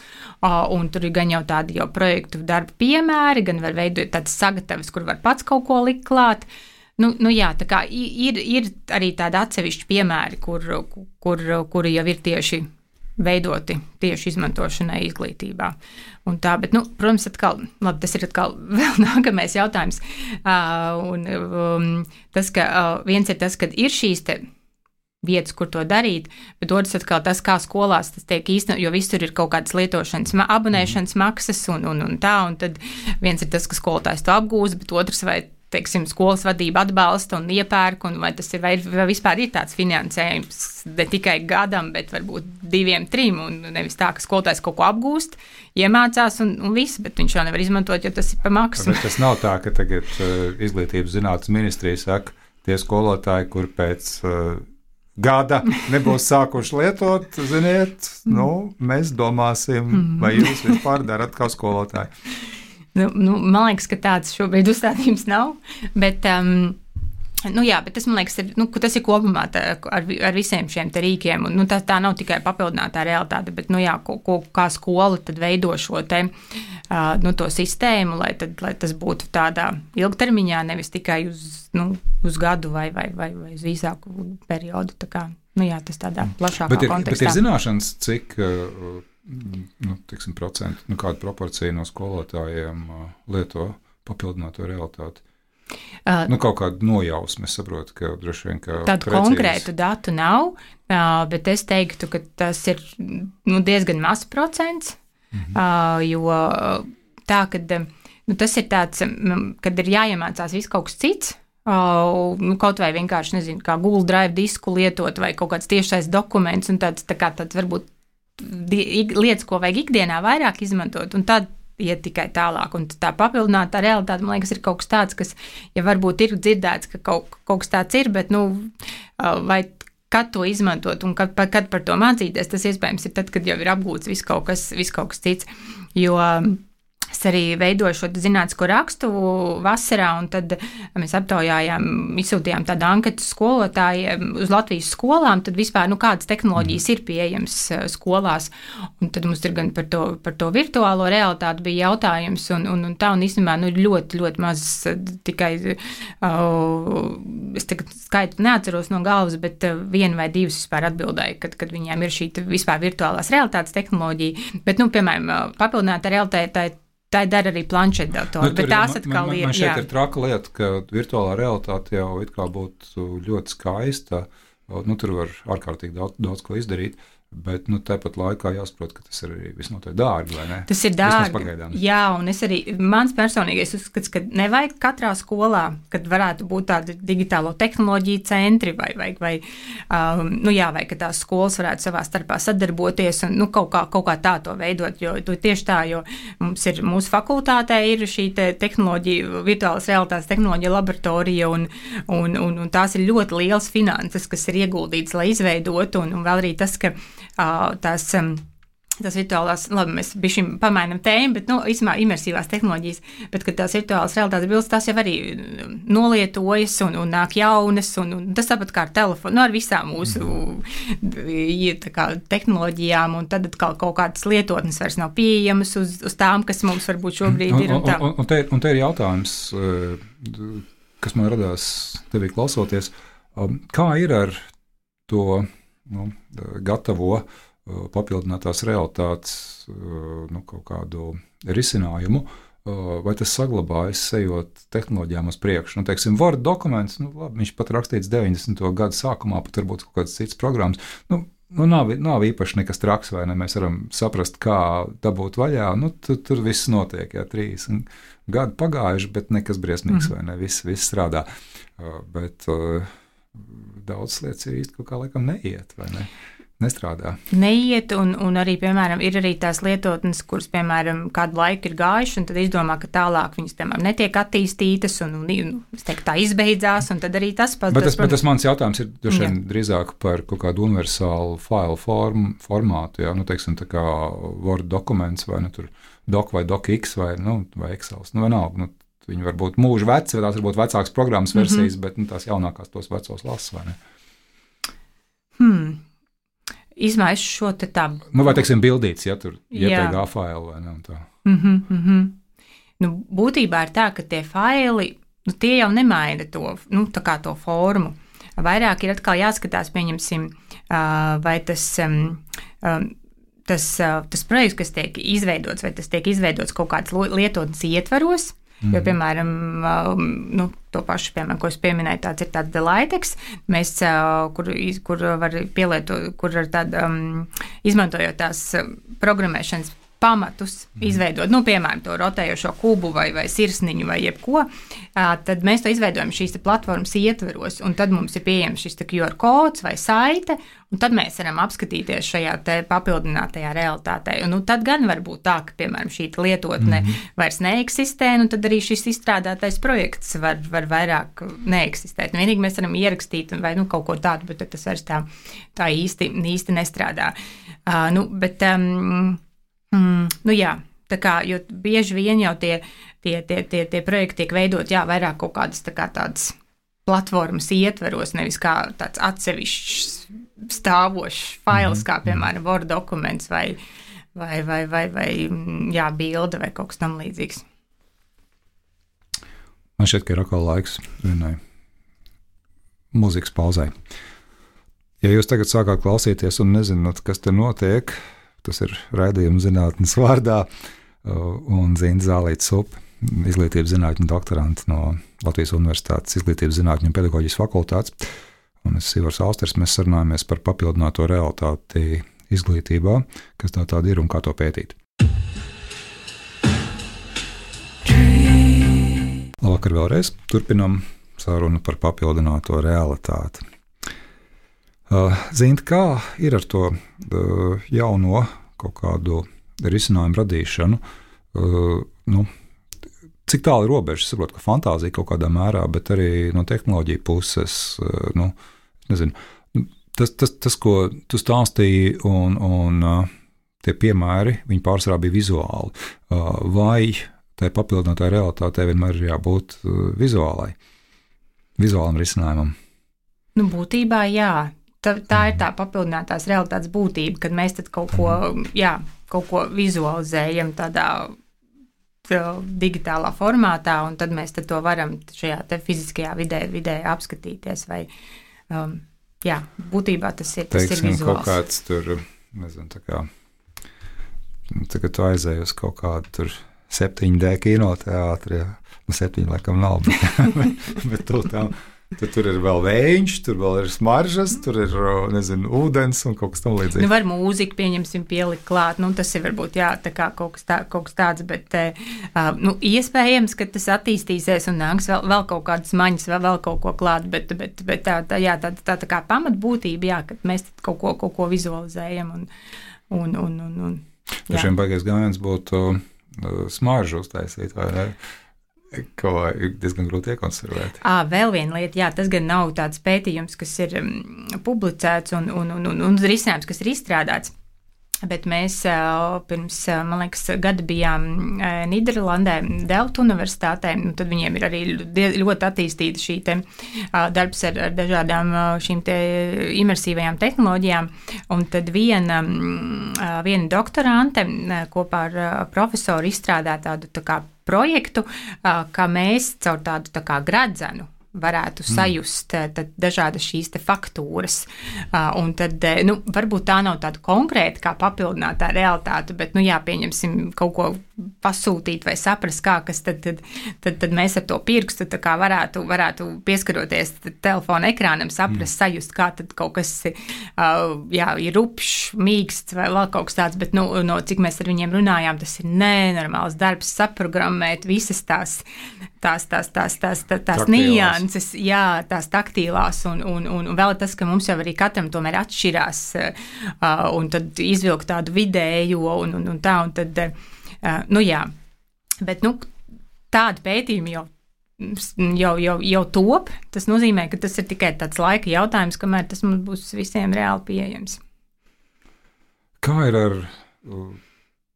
un tur ir gan jau tādi jau projektu darba piemēri, gan var veidot tādas sagatavas, kur var pats kaut ko likt klāt. Tā kā ir arī tādi atsevišķi piemēri, kuri jau ir tieši veidoti tieši izmantošanai izglītībā. Un tā, bet, protams, tas ir atkal vēl nākamais jautājums. Tas, ka viens ir tas, ka ir šīs te vietas, kur to darīt, bet otrs atkal tas, kā skolās tas tiek īstenot, jo visur ir kaut kādas lietošanas, abonēšanas maksas un tad viens ir tas, ka skolotājs to apgūst, bet otrs vai teiksim, skolas vadība atbalsta un iepērk, un vai tas ir, vai vispār ir tāds finansējums ne tikai gadam, bet varbūt 2, 3, un nevis tā, ka skolotājs kaut ko apgūst, iemācās un viss, bet viņš jau nevar izmantot, jo tas ir pa maksu. Bet tas nav tā, ka tagad Izglītības zinātnes ministrija saka, tie skolotāji, kur pēc gada nebūs sākuši lietot, ziniet, mēs domāsim, vai jūs vispār darat kā skolotāji. Man liekas, ka tāds šobrīd uzstādījums nav, bet, bet tas, man liekas, tas ir kopumā ar visiem šiem te rīkiem, un tā nav tikai papildinātā realitāte, bet, kā skola tad veido šo te, to sistēmu, lai tas būtu tādā ilgtermiņā, nevis tikai uz gadu vai uz īsāku periodu, tā kā, tas tādā plašākā kontekstā. Bet ir zināšanas, cik procentu, kādu proporciju no skolotājiem lieto papildināto realitāti? Kaut kādu nojausmu, es saprotu, ka droši vien, ka tādu precīzi. Konkrētu datu nav, bet es teiktu, ka tas ir diezgan mazs procents, jo tā, kad tas ir tāds, kad ir jāiemācās viss kaut kas cits, kaut vai vienkārši, nezinu, kā Google Drive disku lietot vai kaut kāds tiešais dokuments un tāds varbūt lietas, ko vajag ikdienā vairāk izmantot, un tad iet tikai tālāk. Un tā papildinātā realitāte, man liekas, ir kaut kas tāds, kas, ja varbūt ir dzirdēts, ka kaut kas tāds ir, bet, vai kad to izmantot un kad par to mācīties, tas iespējams ir tad, kad jau ir apgūts viss kaut kas cits. Jo arī veidoju šo zinātnisko rakstu vasarā, un tad mēs aptaujājām, izsūtījām tādu anketu skolotājiem uz Latvijas skolām, tad vispār, kādas tehnoloģijas ir pieejamas skolās. Un tad mums ir gan par to virtuālo realitāti bija jautājums, un īstenībā, ļoti, ļoti maz tikai, es tagad skaitu neatceros no galvas, bet 1 vai 2 vispār atbildēja, kad viņiem ir šī vispār virtuālās realitātes tehnoloģija, bet, piemēram, papildināta realitāte, tā dara arī planšetdatori, bet tās atkal ir. Man šeit ir traka lieta, ka virtuālā realitāte jau it kā būtu ļoti skaista, tur var ārkārtīgi daudz ko izdarīt, bet tāpat laikā jāsaprot, ka tas ir arī visnotaļ dārgi, vai ne? Tas ir dārgi, jā, un mans personīgais uzskats, ka nevajag katrā skolā, kad varētu būt tādi digitālo tehnoloģiju centri, vai ka tās skolas varētu savā starpā sadarboties un kaut kā tā to veidot, jo tieši tā, jo mūsu fakultātē ir šī tehnoloģija, virtuālas realitātes tehnoloģija laboratorija, un tās ir ļoti liels finanses, kas ir ieguldīts, lai izveidotu, un vēl arī tas, ka tās virtuālās, labi, mēs bišķi pamainam tēmu, bet, īstenībā imersīvās tehnoloģijas, bet, kad tās virtuālās realitātes bildes, tās jau arī nolietojas un nāk jaunas, un tas tāpat kā ar telefonu, ar visām mūsu tehnoloģijām, un tad atkal kaut kādas lietotnes vairs nav pieejamas uz tām, kas mums varbūt šobrīd ir. Un te ir jautājums, kas man radās tevī klausoties, kā ir ar to gatavo papildinātās realitātes kaut kādu risinājumu, vai tas saglabājas ejot tehnoloģijām uz priekšu. Teiksim, Word dokuments, labi, viņš pat rakstīts 90. gadu sākumā, pat varbūt kaut kāds cits programmas. Nav īpaši nekas traks, vai ne? Mēs varam saprast, kā dabūt vaļā. Tur viss notiek, 30 gadi pagājuši, bet nekas briesmīgs, vai ne? Viss strādā. Bet daudz lietas ir īsti kaut kā laikam neiet, vai ne? Nestrādā. Neiet, un arī, piemēram, ir arī tās lietotnes, kuras, piemēram, kādu laiku ir gājuši, un tad izdomā, ka tālāk viņas, piemēram, netiek attīstītas, un es teiktu, tā izbeidzās, un tad arī tas pats. Bet tas mans jautājums ir drīzāk par kaut kādu universālu failu formātu, teiksim, tā kā Word dokuments, vai tur doc vai docx, vai Excels, vienalga, viņi var būt mūžu veci, vai tās var būt vecākas programmas versijas, bet tās jaunākās tos vecos lasa, vai ne? Izmaiņas šo te tā. Vai, teiksim, bildīts, tur JPG faili, vai ne, un tā. Būtībā ir tā, ka tie faili, tie jau nemaina to, tā kā to formu. Vairāk ir atkal jāskatās, pieņemsim, vai tas projekts, kas tiek izveidots, vai tas tiek izveidots kaut kāds lietotnes ietvaros. Jo, piemēram, to pašu, piemēram, ko es pieminēju, tāds ir tāds Delaitex, kur var pielietot, kur ar tādu, izmantojot tās programmēšanas pamatus izveidot, piemēram, to rotējošo kubu vai sirsniņu vai jebko, tad mēs to izveidojam šīs platformas ietveros, un tad mums ir pieejams šis QR kods vai saite, un tad mēs varam apskatīties šajā te papildinātajā realitātē. Un tad gan var būt tā, ka, piemēram, šī lietotne vairs neeksistē, un tad arī šis izstrādātais projekts var vairāk neeksistēt. Vienīgi mēs varam ierakstīt vai kaut ko tādu, bet tas vairs tā īsti nestrādā. Jā, tā kā, jo bieži vien jau tie projekti tiek veidot, vairāk kaut kādas tādas platformas ietveros, nevis kā tāds atsevišķs stāvošs fails, kā, piemēram, Word dokuments vai bilde vai kaut kas tam līdzīgs. Man šķiet, ka ir atkal laiks vienai mūzikas pauzai. Ja jūs tagad sākāt klausīties un nezināt, kas te notiek, tas ir raidījums zinātnes vārdā, un Zinta Zālīte-Supe, izglītības zinātņu doktorants no Latvijas Universitātes izglītības zinātņu un pedagoģijas fakultātes, un es Ivars Austers, mēs sarunājamies par papildināto realitāti izglītībā, kas tā tāda ir un kā to pētīt. Labvakar vēlreiz, turpinam sarunu par papildināto realitāti. Zinta, kā ir ar to jauno kaut kādu risinājumu radīšanu? Cik tālu ir robeža? Es saprotu, ka fantāzija kaut kādā mērā, bet arī no tehnoloģija puses, nezinu, tas, ko tu stāstīji, un tie piemēri, viņi pārsvarā bija vizuāli. Vai tai papildinātai realitātei vienmēr ir jābūt vizuālam risinājumam. Nu, būtībā jā. Tā ir tā papildinātās realitātes būtība, kad mēs tad kaut ko vizualizējam tādā digitālā formātā, un tad mēs tad to varam šajā te fiziskajā vidē apskatīties. Vai, būtībā tas ir vizuāls. Kaut kāds tur, nezinu, tā kā tagad tu aizēji uz kaut kādu tur 7D kinoteātri, 7 laikam nav, bet tur ir vēl vējš, tur vēl ir smaržas, tur ir, nezinu, ūdens un kaut kas tam līdzīgs. Nu, var mūziku, pieņemsim, pielikt klāt, tas ir varbūt, tā kā kaut kas tāds, bet, iespējams, ka tas attīstīsies un nāks vēl kaut kādas maņas, vēl kaut ko klāt, bet tā kā pamatbūtība, kad mēs kaut ko vizualizējam un Dažiem baigais gājiens būtu smaržu uztaisīt, vai ne? Ko ir diezgan grūti iekonservēt. Vēl viena lieta, tas gan nav tāds pētījums, kas ir publicēts un risinājums, kas ir izstrādāts, bet mēs pirms, man liekas, gada bijām Nīderlandē, Delftu universitātē, tad viņiem ir arī ļoti attīstīta šī te darbs ar dažādām šīm te imersīvajām tehnoloģijām, un tad viena doktorante kopā ar profesoru izstrādā tādu tā kā projektu, ka mēs caur tādu tā kā gredzenu varētu sajust dažādas šīs te faktūras. Un tad, varbūt tā nav tāda konkrēta kā papildinātā realitāte, bet, pieņemsim kaut ko pasūtīt vai saprast, kas tad mēs ar to pirkstu tā kā varētu pieskaroties telefona ekrānam, saprast, sajust, kā tad kaut kas ir rupšs, mīksts vai vēl kaut kas tāds, bet, no cik mēs ar viņiem runājām, tas ir nenormāls darbs saprogrammēt visas tās nianses, tās taktīlās, un vēl tas, ka mums jau arī katram tomēr atšķirās, un tad izvilkt tādu vidējo, un tad, bet, tādi pētījumi jau top, tas nozīmē, ka tas ir tikai tāds laika jautājums, kamēr tas mums būs visiem reāli pieejams. Kā ir ar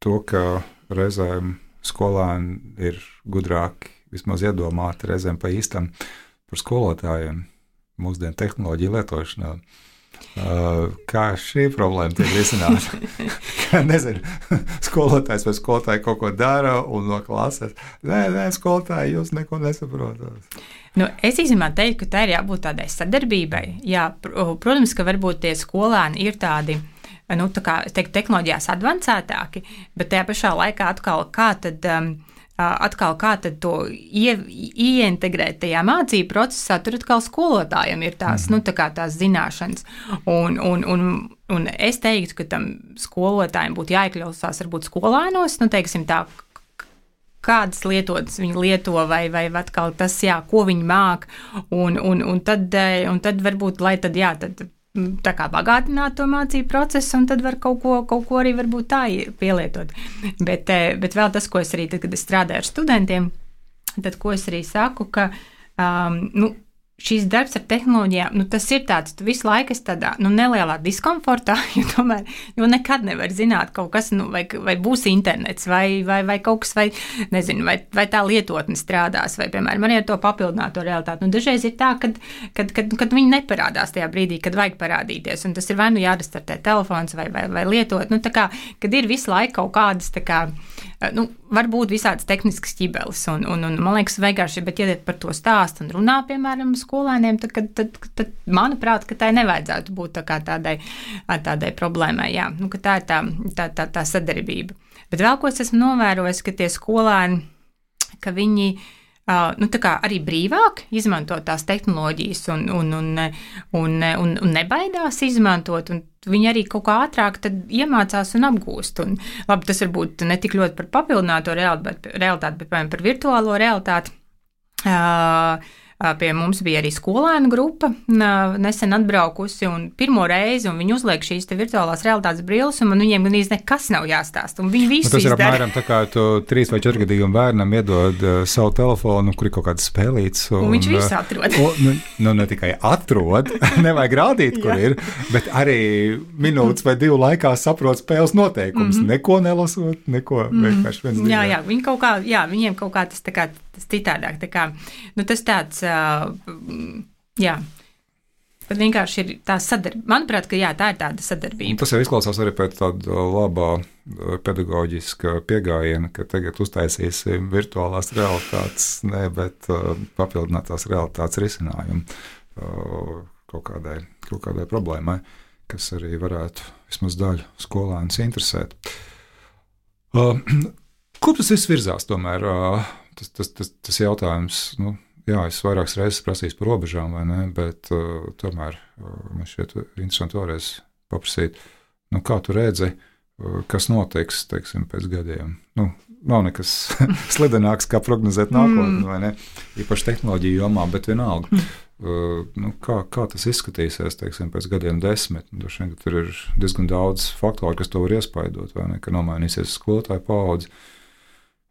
to, ka reizēm skolēni ir gudrāki, vismaz iedomāti reizēm pa īstam par skolotājiem mūsdienu tehnoloģiju lietošanā? Kā šī problēma tiek risināta? Nezinu, skolotājs vai skolotāji kaut ko dara un no klases. Nē, skolotāji, jūs neko nesaprotat. Es īstenībā teiktu, ka tā ir jābūt tādai sadarbībai. Jā, protams, ka varbūt tie skolēni ir tādi, tā kā, es teiktu, tehnoloģijās advancētāki, bet tajā pašā laikā kā tad to ieintegrēt tajā mācību procesā, tur atkal skolotājiem ir tās, tā kā tās zināšanas. Un es teiktu, ka tam skolotājiem būtu jāiekļausās varbūt skolēnos, teiksim tā, kādas lietotnes viņi lieto, vai atkal tas, ko viņi māk, un tad varbūt, lai tad, tā kā bagātināt to mācību procesu, un tad var kaut ko arī varbūt tā pielietot. Bet vēl tas, ko es arī, tad, kad es strādāju ar studentiem, tad, ko es arī saku, ka, šīs darbs ar tehnoloģijām, tas ir tāds, tu visu laiku esi tādā, nelielā diskomfortā, jo nekad nevar zināt kaut kas, vai būs internets, vai kaut kas, vai, nezinu, vai tā lietotne strādās, vai, piemēram, arī ar to papildināto realitāti. Dažreiz ir tā, kad viņi neparādās tajā brīdī, kad vajag parādīties, un tas ir vai jārestartē telefons, vai lietot, tā kā, kad ir visu laiku kaut kādas, tā kā, varbūt visādas tehniskas ķibeles, un man liekas, vienkārši, bet ja par to stāst un runā, piemēram, skolēniem, tad manuprāt, ka tai nevajadzētu būt tā kā tādai problēmai, ka tā ir tā sadarbība. Bet vēl ko es esmu novērojis, ka tie skolēni, ka viņi tā kā arī brīvāk izmanto tās tehnoloģijas un nebaidās izmantot, un viņi arī kaut kā ātrāk tad iemācās un apgūst. Un, labi, tas varbūt ne tik ļoti par papildināto realitāti, bet, piemēram, par virtuālo realitāti. pie mums bija arī skolēnu grupa nesen atbraukusi un pirmo reizi, un viņi uzliek šīs te virtuālās realitātes brilles, un man viņiem gandrīz nekas nav jāstāst, un viņi visu tas ir izdara. apmēram tā kā tu 3 vai 4 gadīgam bērnam iedod savu telefonu, kur ir kaut kādas spēlītes. Un viņš visu atrod. Ne tikai atrod, nevajag rādīt, kur ir, bet arī minūtes vai 2 laikā saprot spēles noteikumus. Neko nelasot, neko vienkārši viens divi. Jā, viņi kaut kā, viņiem kaut kā tas citādāk. Tā kā, tas tāds, bet vienkārši ir tā sadarbība. Manuprāt, ka tā ir tāda sadarbība. Tas jau izklausās arī pēc tāda labā pedagoģiska pieejama, ka tagad uztaisīsim virtuālās realitātes, bet papildinātās realitātes risinājumu kaut kādai problēmai, kas arī varētu vismaz daļu skolēnus interesēt. Kur tas viss virzās tomēr? Tas jautājums, es vairākas reizes prasīju par robežām, vai ne, bet tomēr man šķiet interesanti vēlreiz paprasīt, kā tu redzi, kas notiks, teiksim, pēc gadiem. Nav nekas slidenāks, kā prognozēt nākotni, vai ne, īpaši tehnoloģiju jomā, bet vienalga. Kā tas izskatīsies, teiksim, pēc gadiem 10? Droši vien, ka tur ir diezgan daudz faktoru, kas to var iespaidot, vai ne, ka nomainīsies skolotāju paudze,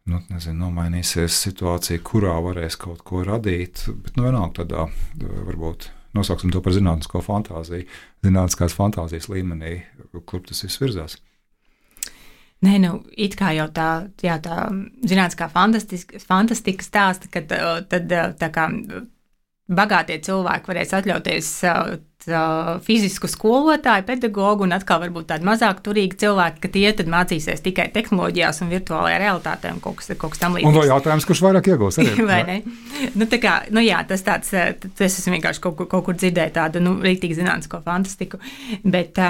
nomainīsies situācija, kurā varēs kaut ko radīt, bet vienalga tādā, varbūt nosauksim to par zinātnisko fantāziju, zinātniskās fantāzijas līmenī, kur tas viss virzās. Nē, it kā jau tā zinātniskā fantastika stāsta, ka tad tā kā bagātie cilvēki varēs atļauties fizisku skolotāju, pedagogu, un atkal varbūt tādi mazāk turīgi cilvēki, ka tie tad mācīsies tikai tehnoloģijās un virtuālajā realitātē un kaut kas tam līdzīgs. Un vēl jautājums, kurš vairāk iegūs arī? Vai ne? Tas tāds, es esmu vienkārši kaut kur dzirdēju tādu, rīktīgi zinātnisko fantastiku, bet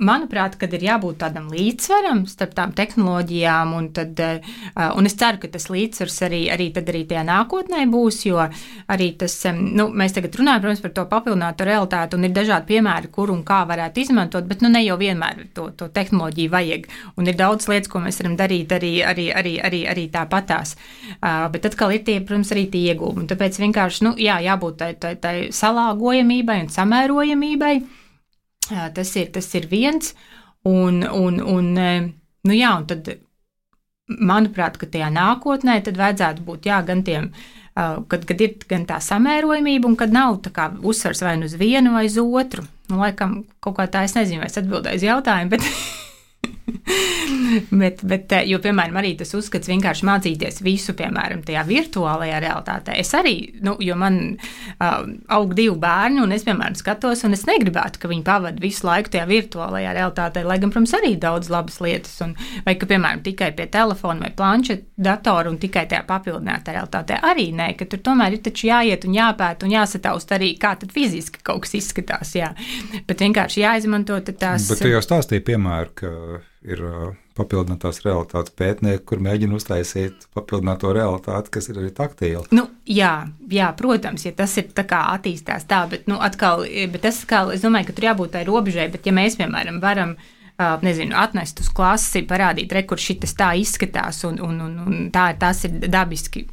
manuprāt, kad ir jābūt tādam līdzsvaram starp tām tehnoloģijām, un es ceru, ka tas līdzsvars arī tajā nākotnē būs, jo arī tas, mēs tagad runājam, protams, par to papildināto realitāti, un ir dažādi piemēri, kur un kā varētu izmantot, bet ne jau vienmēr to tehnoloģiju vajag, un ir daudz lietas, ko mēs varam darīt arī tāpatās. Bet atkal ir tie, protams, arī tie ieguvumi, tāpēc vienkārši, jābūt tai salāgojamībai un samērojamībai. Tas ir viens, un tad, manuprāt, ka tajā nākotnē tad vajadzētu būt, gan tiem, kad ir gan tā samērojamība, un kad nav tā kā uzsvars vai uz vienu vai uz otru. Laikam, kaut kā tā, es nezinu, vai es atbildēju uz jautājumu, bet, jo, piemēram, arī tas uzskats vienkārši mācīties visu, piemēram, tajā virtuālajā realitātē. Es arī, jo man aug 2 bērni, un es, piemēram, skatos, un es negribētu, ka viņi pavada visu laiku tajā virtuālajā realitātē, lai gan, protams, arī daudz labas lietas, vai ka, piemēram, tikai pie telefona vai planšeta datora un tikai tajā papildinātā realitātē. Arī nē, ka tur tomēr ir taču jāiet un jāpēta un jāsataust arī, kā tad fiziski kaut kas izskatās, bet vienkārši jāizmanto tās. Bet tu jau stāstīji piemēru, ka ir papildinātās realitātes pētnieki, kur mēģina uztaisīt papildināto realitāti, kas ir arī taktīla. Jā, protams, ja tas ir tā kā attīstās tā, bet tas atkal, es domāju, ka tur jābūt tai robežai, bet ja mēs, piemēram, varam, atnest uz klasi, parādīt, kur šitas tā izskatās un tās ir dabiski,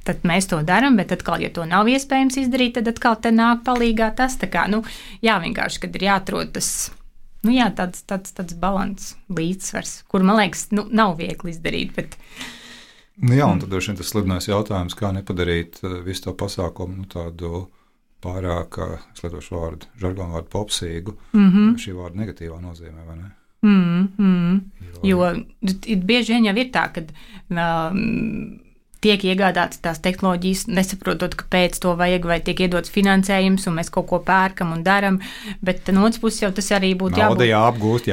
tad mēs to daram, bet atkal, ja to nav iespējams izdarīt, tad atkal te nāk palīgā tas, tā kā, vienkārši, kad ir jāatrod tas, tāds balans, līdzsvars, kur, man liekas, nav viegli izdarīt, bet. Un tad droši vien tas slidinājums jautājums, kā nepadarīt visu to pasākumu tādu pārāk, es lietošu vārdu, žargonu vārdu popsīgu, šī vārda negatīvā nozīmē, vai ne? Jo bieži vien jau ir tā, kad tiek iegādātas tās tehnoloģijas, nesaprotot, kāpēc to vajag, vai tiek iedots finansējums, un mēs kaut ko pērkam un daram, bet no otras puses jau tas arī būtu jābūt. Nauda jāapgūst.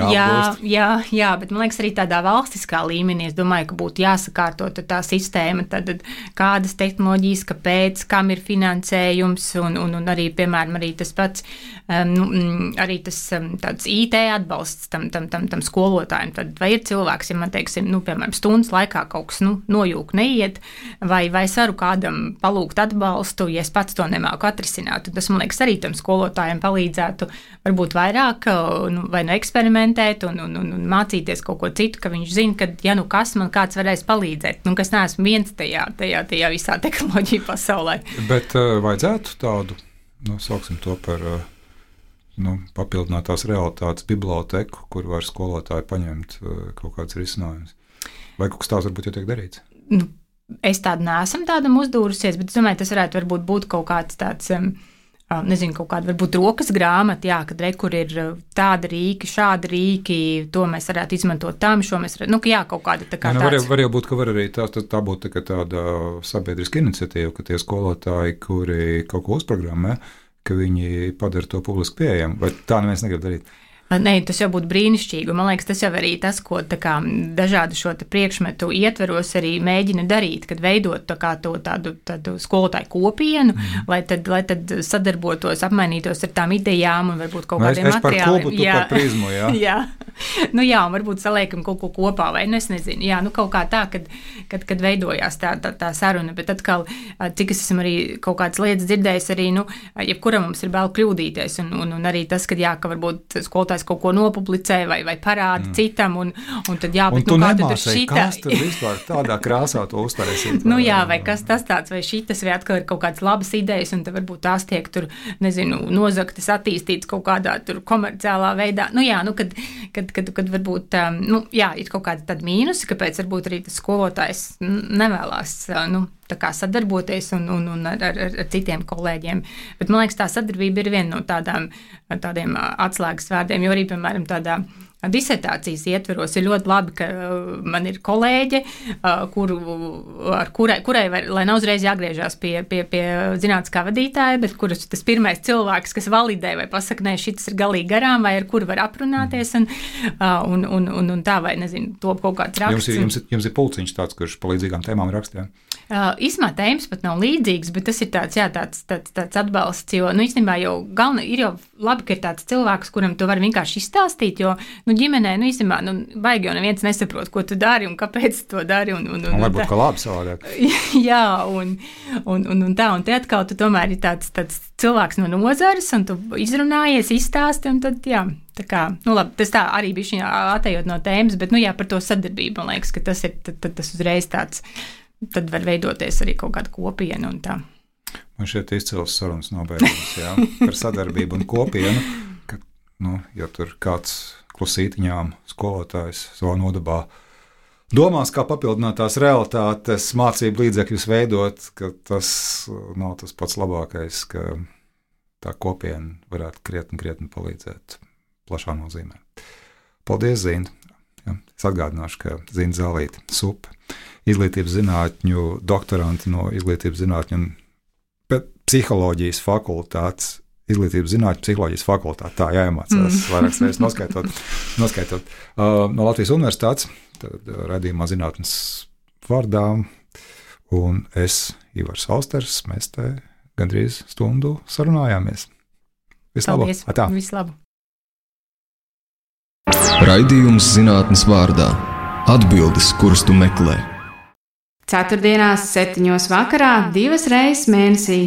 Jā, bet man liekas arī tādā valstiskā līmenī, es domāju, ka būtu jāsakārto tā sistēma, tad kādas tehnoloģijas, kāpēc, kam ir finansējums, un arī, piemēram, arī tas pats, arī tas tāds IT atbalsts tam skolotājiem, tad vai ir cilvēks, ja man teiksim, piemēram, stundas laikā kaut kas nojūk, neiet, vai es varu kādam palūgt atbalstu, ja es pats to nemāku atrisināt. Un tas, man liekas, arī tam skolotājiem palīdzētu varbūt vairāk vai eksperimentēt un mācīties kaut ko citu, ka viņš zina, ka, ja nu kas, man kāds varēs palīdzēt, ka es neesmu viens tajā visā tehnoloģiju pasaulē. Bet vajadzētu tādu, sauksim to par papildinātās realitātes biblioteku, kur var skolotāji paņemt kaut kāds risinājums. Vai kaut kas tāds varbūt jau tiek darīts? Es neesmu tādam uzdūrusies, bet es domāju, tas varētu būt kaut kāds tāds, nezinu, kaut kāda varbūt rokas grāmata, kad kur ir tāda rīki, šāda rīki, to mēs varētu izmantot tam, šo mēs varētu, kaut kāda tā kā tāds. Var jau būt, ka var arī tā būt tāda sabiedriska iniciatīva, ka tie skolotāji, kuri kaut ko uzprogrammē, ka viņi padara to publiski pieejamu, vai tā neviens negrib darīt? Nē, tas jau būtu brīnišķīgi. Man liekas, tas jau arī tas, ko dažādu šo priekšmetu ietveros arī mēģina darīt, kad veidot tādu skolotāju kopienu, lai tad sadarbotos, apmainītos ar tām idejām un varbūt kaut kādiem materiāliem. Es par klubu, tu par prizmu, jā. Jā. Un varbūt saliekam kaut ko kopā, vai es nezinu. Jā, kaut kā tā, kad veidojās tā saruna, bet atkal, cik es esmu arī kaut kādas lietas dzirdējis arī, jebkuram mums ir bail kļūdīties, un arī tas, ka varbūt skolotājs kaut ko nopublicē vai parāda citam, un tad bet tu nemāsēji, kas tad vispār tādā krāsā to uztaisīt? Vai kas tas tāds, vai šitas, vai atkal ir kaut kādas labas idejas, un tad varbūt tās tiek tur, nezinu, nozaktas, attīstītas kaut kādā tur komerciālā veidā. Kad varbūt, ir kaut kāda tāda mīnusi, kāpēc varbūt arī tas skolotājs nevēlās, tā kā sadarboties un ar citiem kolēģiem. Bet man liekas, tā sadarbība ir viena no tādiem atslēgas vārdiem, jo arī, piemēram, tādā disertācijas ietveros ir ļoti labi, ka man ir kolēģe, kurai lai nav uzreiz jāgriežās pie zinātniskā vadītāja, bet kuras tas pirmais cilvēks, kas validē vai pasaka, nē, šitas ir galīgi garām, vai ar kuru var aprunāties, un tā, vai nezinu, top kaut kāds raksts. Jums ir pulciņš tāds, kurš pa līdzīgām tēmām rakstījā? Īsumā tēmas pat nav līdzīgas, bet tas ir tāds atbalsts, jo, īstenībā jau ir jau labi, ka ir tāds cilvēks, kuram to var vienkārši izstāstīt, jo, ģimenē, īstenībā, baigi jau neviens nesaprot, ko tu dari un kāpēc to dari. Un varbūt, ka labi savādāk. Jā, un te atkal tu tomēr ir tāds cilvēks no nozares, un tu izrunājies, izstāsti, un tad, jā, tā kā, labi, tas tā arī bija šī atejot no tēmas, bet, par to sadarbību, man liekas, ka tas ir tas uzreiz tāds, tad var veidoties arī kaut kāda kopiena un tā. Man šeit izcils sarunas nobeigums, jā, par sadarbību un kopienu, ka, ja tur kāds klusītiņām skolotājs savā nodabā domās, kā papildinātās realitātes mācību līdzekļus veidot, ka tas nav tas pats labākais, ka tā kopiena varētu krietni palīdzēt plašā nozīmē. Paldies, Zina! Ja, es atgādināšu, ka Zina Zālīte, SUP, izglītības zinātņu doktoranti no izglītības zinātņu un psiholoģijas fakultātes, izglītības zinātņu psiholoģijas fakultāte, tā jāiemācās vairākas reizes noskaitot. No Latvijas universitātes, tad raidījumā zinātnes vārdā, un es, Ivars Austers, mēs te gandrīz stundu sarunājāmies. Vislabāk! Paldies! Vislabāk! Raidījums zinātnes vārdā. Atbildes, kuras tu meklē. Ceturtdienās 7:00 vakarā 2 reizes mēnesī.